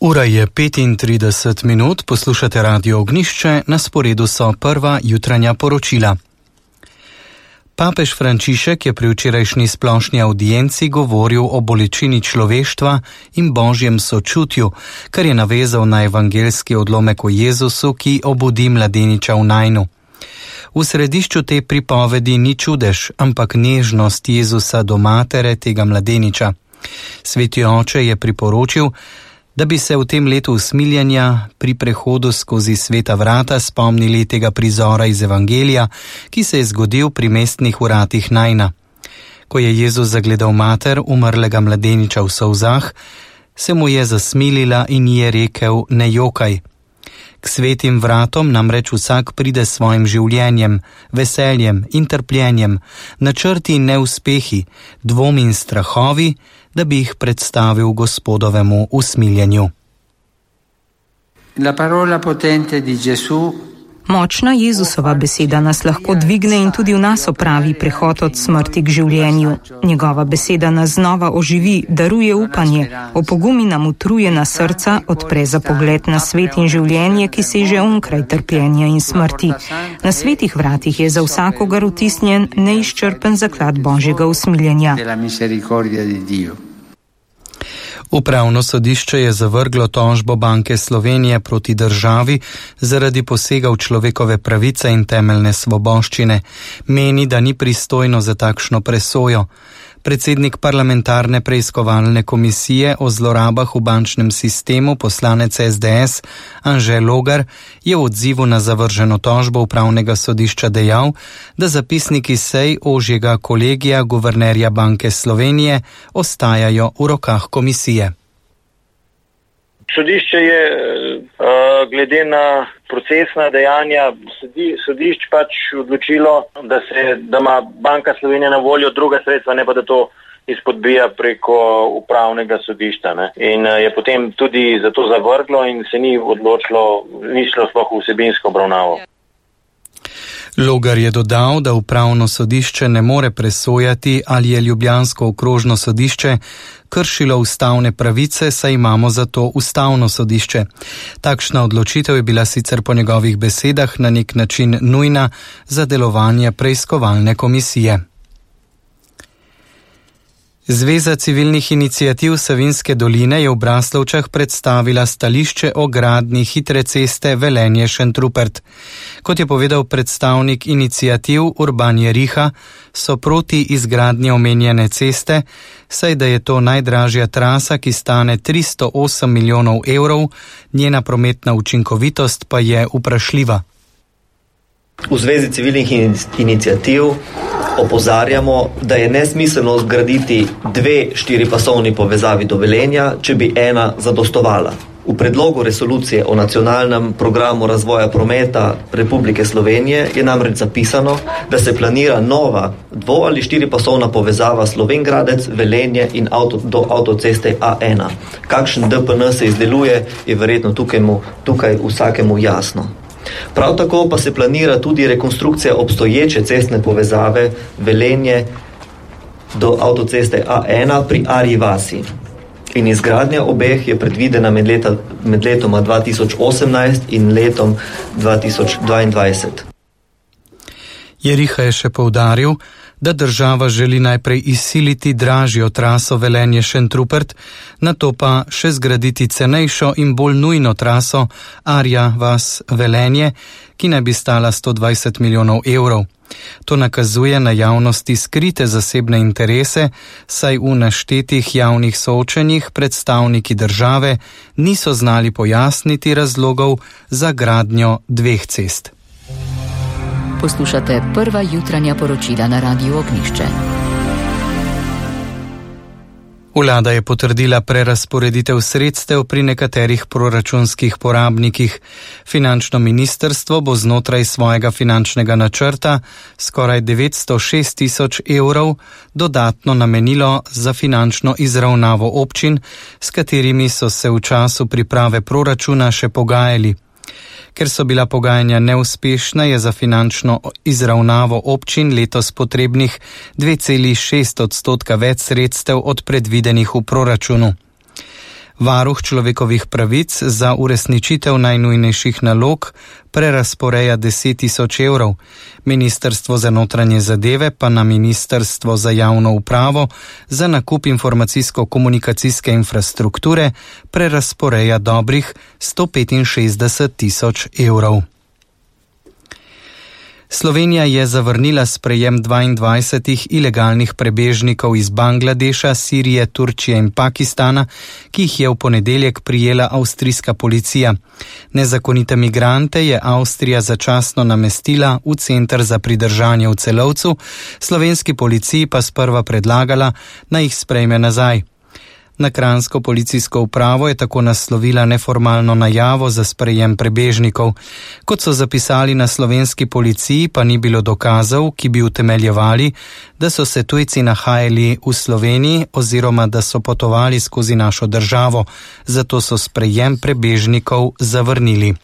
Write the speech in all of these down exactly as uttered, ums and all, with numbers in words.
Ura je petintrideset minut, poslušate Radio Ognjišče, na sporedu so prva jutranja poročila. Papež Frančišek je pri včerajšnji splošni audienci govoril o bolečini človeštva in božjem sočutju, kar je navezal na evangeljski odlomek o Jezusu, ki obudi mladeniča v Najnu. V središču te pripovedi ni čudež, ampak nežnost Jezusa do matere tega mladeniča. Sveti oče je priporočil, da bi se v tem letu usmiljenja pri prehodu skozi sveta vrata spomnili tega prizora iz Evangelija, ki se je zgodil pri mestnih vratih Najna. Ko je Jezus zagledal mater umrlega mladeniča v solzah, se mu je zasmilila in ji je rekel: ne jokaj. K svetim vratom namreč vsak pride s svojim življenjem, veseljem in trpljenjem, načrti in neuspehi, dvomi in strahovi, da bi jih predstavil Gospodovemu usmiljenju. La parola potente di Gesù. Močna Jezusova beseda nas lahko dvigne in tudi v nas opravi prehod od smrti k življenju. Njegova beseda nas znova oživi, daruje upanje, opogumi nam utrujena srca, odpre za pogled na svet in življenje, ki seže onkraj trpljenja in smrti. Na svetih vratih je za vsakogar vtisnjen neizčrpen zaklad Božjega usmiljenja. Upravno sodišče je zavrglo tožbo Banke Slovenije proti državi zaradi posega v človekove pravice in temeljne svoboščine. Meni, da ni pristojno za takšno presojo. Predsednik parlamentarne preiskovalne komisije o zlorabah v bančnem sistemu, poslanec S D S Anže Logar, je v odzivu na zavrženo tožbo upravnega sodišča dejal, da zapisniki sej ožjega kolegija guvernerja Banke Slovenije ostajajo v rokah komisije. Sodišče je glede na procesna dejanja sodišč pač odločilo, da se, da ima Banka Slovenije na voljo druga sredstva, ne pa da to izpodbija preko upravnega sodišča. Ne. In je potem tudi za to zavrglo in se ni odločilo, ni šlo sploh v vsebinsko obravnavo. Logar je dodal, da upravno sodišče ne more presojati, ali je ljubljansko okrožno sodišče kršilo ustavne pravice, saj imamo za to ustavno sodišče. Takšna odločitev je bila sicer po njegovih besedah na nek način nujna za delovanje preiskovalne komisije. Zveza civilnih iniciativ Savinjske doline je v Braslovčah predstavila stališče o gradnji hitre ceste Velenje-Šentrupert. Kot je povedal predstavnik iniciativ Urban Jeriha, so proti izgradnji omenjene ceste, saj da je to najdražja trasa, ki stane tristo osem milijonov evrov, njena prometna učinkovitost pa je vprašljiva. V Zvezi civilnih iniciativ opozarjamo, da je nesmiselno zgraditi dve štiripasovni povezavi do Velenja, če bi ena zadostovala. V predlogu resolucije o nacionalnem programu razvoja prometa Republike Slovenije je namreč zapisano, da se planira nova dvo- ali štiripasovna povezava Slovenj-Gradec, Velenje in avto, do avtoceste A ena. Kakšen D P N se izdeluje, je verjetno tukaj, tukaj vsakemu jasno. Prav tako pa se planira tudi rekonstrukcija obstoječe cestne povezave Velenje do avtoceste A ena pri Arji vasi. In izgradnja obeh je predvidena med, leta, med letoma dva tisoč osemnajst in letom dva tisoč dvaindvajset. Jeriha je še poudaril, da država želi najprej izsiliti dražjo traso Velenje-Šentrupert, nato pa še zgraditi cenejšo in bolj nujno traso Arja vas-Velenje, ki naj bi stala sto dvajset milijonov evrov. To nakazuje na javnosti skrite zasebne interese, saj v naštetih javnih soočenjih predstavniki države niso znali pojasniti razlogov za gradnjo dveh cest. Poslušate prva jutranja poročila na Radiu Ognjišče. Vlada je potrdila prerazporeditev sredstev pri nekaterih proračunskih porabnikih. Finančno ministrstvo bo znotraj svojega finančnega načrta skoraj devetsto šest tisoč evrov dodatno namenilo za finančno izravnavo občin, s katerimi so se v času priprave proračuna še pogajali. Ker so bila pogajanja neuspešna, je za finančno izravnavo občin letos potrebnih dve celi šest odstotka več sredstev od predvidenih v proračunu. Varuh človekovih pravic za uresničitev najnujnejših nalog prerazporeja deset tisoč evrov. Ministrstvo za notranje zadeve pa na Ministrstvo za javno upravo za nakup informacijsko-komunikacijske infrastrukture prerazporeja dobrih sto petinšestdeset tisoč evrov. Slovenija je zavrnila sprejem dvaindvajsetih ilegalnih prebežnikov iz Bangladeša, Sirije, Turčije in Pakistana, ki jih je v ponedeljek prijela avstrijska policija. Nezakonite migrante je Avstrija začasno namestila v center za pridržanje v Celovcu, slovenski policiji pa sprva predlagala, naj jih sprejme nazaj. Na kranjsko policijsko upravo je tako naslovila neformalno najavo za sprejem prebežnikov. Kot so zapisali na slovenski policiji, pa ni bilo dokazov, ki bi utemeljevali, da so se tujci nahajali v Sloveniji oziroma da so potovali skozi našo državo, zato so sprejem prebežnikov zavrnili.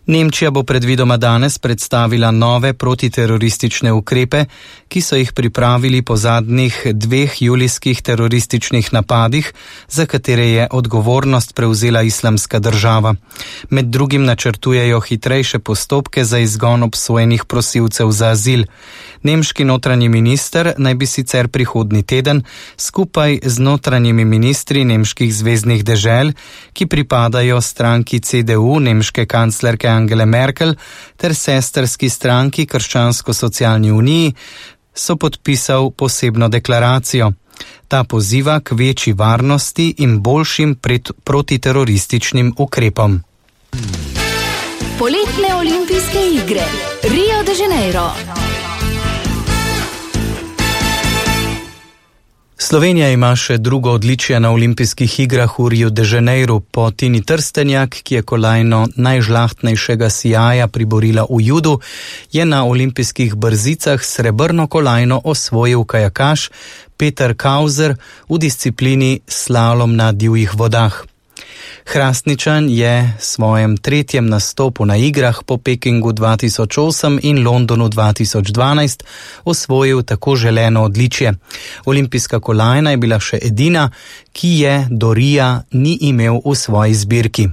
Nemčija bo predvidoma danes predstavila nove protiteroristične ukrepe, ki so jih pripravili po zadnjih dveh julijskih terorističnih napadih, za katere je odgovornost prevzela Islamska država. Med drugim načrtujejo hitrejše postopke za izgon obsojenih prosilcev za azil. Nemški notranji minister naj bi sicer prihodnji teden skupaj z notranjimi ministri nemških zveznih dežel, ki pripadajo stranki C D U nemške kanclerke Angele Merkel ter sestrski stranki Krščansko-socialni uniji, so podpisal posebno deklaracijo. Ta poziva k večji varnosti in boljšim pred, protiterorističnim ukrepom. Poletne olimpijske igre Rio de Janeiro. Slovenija ima še drugo odličje na olimpijskih igrah v Riu de Janeiru. Po Tini Trstenjak, ki je kolajno najžlahtnejšega sijaja priborila v judu, je na olimpijskih brzicah srebrno kolajno osvojil kajakaš Peter Kauser v disciplini slalom na divjih vodah. Hrastničan je svojem tretjem nastopu na igrah po Pekingu dva tisoč osem in Londonu dva tisoč dvanajst osvojil tako želeno odličje. Olimpijska kolajna je bila še edina, ki je do Rija ni imel v svoji zbirki.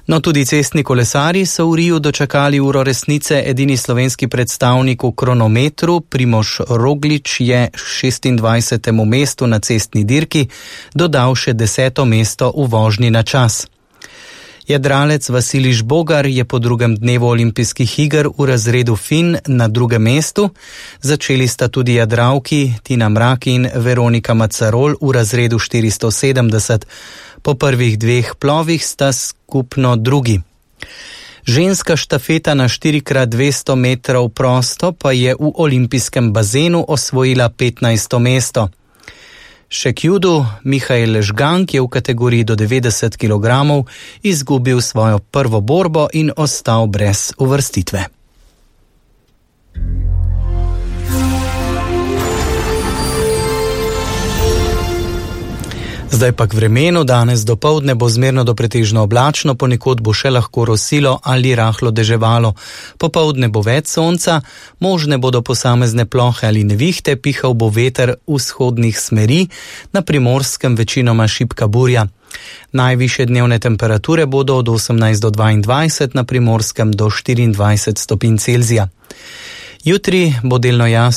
No, tudi cestni kolesarji so v Riju dočakali uro resnice. Edini slovenski predstavnik v kronometru, Primož Roglič, je šestindvajsetemu mestu na cestni dirki dodal še deseto mesto v vožnji na čas. Jadralec Vasilij Žbogar je po drugem dnevu olimpijskih iger v razredu Fin na drugem mestu. Začeli sta tudi jadralki Tina Mrak in Veronika Macarol v razredu štiristo sedemdeset. Po prvih dveh plovih sta skupno drugi. Ženska štafeta na štiri krat dvesto metrov prosto pa je v olimpijskem bazenu osvojila petnajsto mesto. Še k judu Mihael Žgank je v kategoriji do devetdeset kilogramov izgubil svojo prvo borbo in ostal brez uvrstitve. Zdaj pa k vremenu. Danes dopoldne bo zmerno do pretežno oblačno, ponekod bo še lahko rosilo ali rahlo deževalo. Popoldne bo več sonca, možne bodo posamezne plohe ali nevihte, pihal bo veter vzhodnih smeri, na Primorskem večinoma šibka burja. Najvišje dnevne temperature bodo od osemnajst do dvaindvajset, na Primorskem do štiriindvajset stopinj Celzija. Jutri bo delno jasno.